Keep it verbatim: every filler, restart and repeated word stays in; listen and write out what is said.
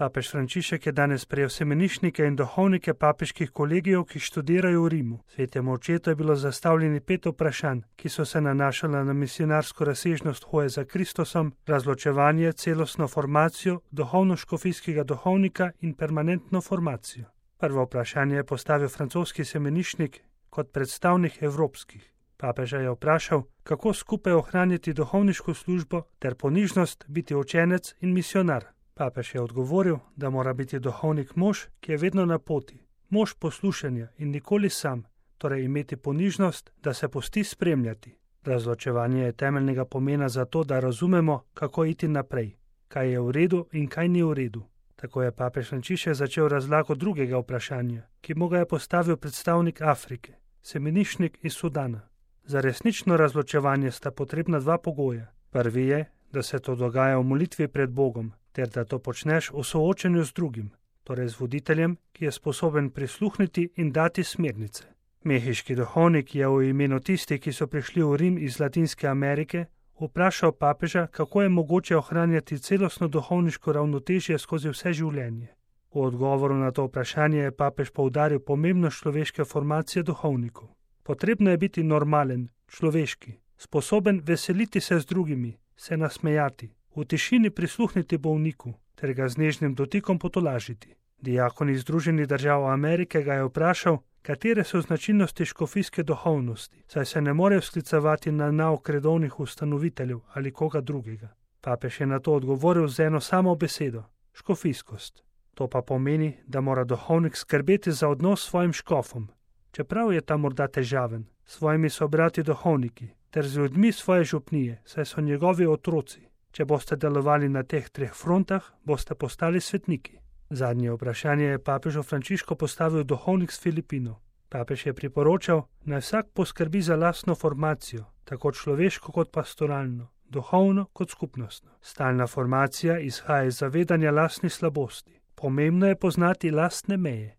Papež Frančišek je danes prejel semeniščnike in duhovnike papeških kolegijev, ki študirajo v Rimu. Svetemu očetu je bilo zastavljeni pet vprašanj, ki so se nanašala na misionarsko razsežnost hoje za Kristusom, razločevanje, celostno formacijo, duhovno-škofijskega duhovnika in permanentno formacijo. Prvo vprašanje je postavil francoski semeniščnik kot predstavnik evropskih. Papeža je vprašal, kako skupaj ohraniti duhovniško službo ter ponižnost biti učenec in misionar. Papež je odgovoril, da mora biti duhovnik mož, ki je vedno na poti, mož poslušanja in nikoli sam, torej imeti ponižnost, da se pusti spremljati. Razločevanje je temeljnega pomena za to, da razumemo, kako iti naprej, kaj je v redu in kaj ni v redu. Tako je papež Frančišek začel razlago drugega vprašanja, ki mu ga je postavil predstavnik Afrike, semeniščnik iz Sudana. Za resnično razločevanje sta potrebna dva pogoja. Prvi je, da se to dogaja v molitvi pred Bogom, ter da to počneš v soočenju z drugim, torej z voditeljem, ki je sposoben prisluhniti in dati smernice. Mehiški duhovnik je v imenu tistih, ki so prišli v Rim iz Latinske Amerike, vprašal papeža, kako je mogoče ohranjati celostno duhovniško ravnotežje skozi vse življenje. V odgovoru na to vprašanje je papež poudaril pomembnost človeške formacije duhovnikov. Potrebno je biti normalen, človeški, sposoben veseliti se z drugimi, se nasmejati, v tišini prisluhniti bolniku ter ga z nežnim dotikom potolažiti. Diakon iz Združenih držav Amerike ga je vprašal, katere so značilnosti škofijske duhovnosti, saj se ne morejo sklicevati na nauk redovnih ustanoviteljev ali koga drugega. Papež je na to odgovoril z eno samo besedo – škofijskost. To pa pomeni, da mora duhovnik skrbeti za odnos s svojim škofom, čeprav je ta morda težaven, s svojimi sobrati duhovniki ter z ljudmi svoje župnije, saj so njegovi otroci. Če boste delovali na teh treh frontah, boste postali svetniki. Zadnje vprašanje je papežu Frančišku postavil duhovnik s Filipinov. Papež je priporočal, naj vsak poskrbi za lastno formacijo, tako človeško kot pastoralno, duhovno kot skupnostno. Stalna formacija izhaja iz zavedanja lastnih slabosti. Pomembno je poznati lastne meje.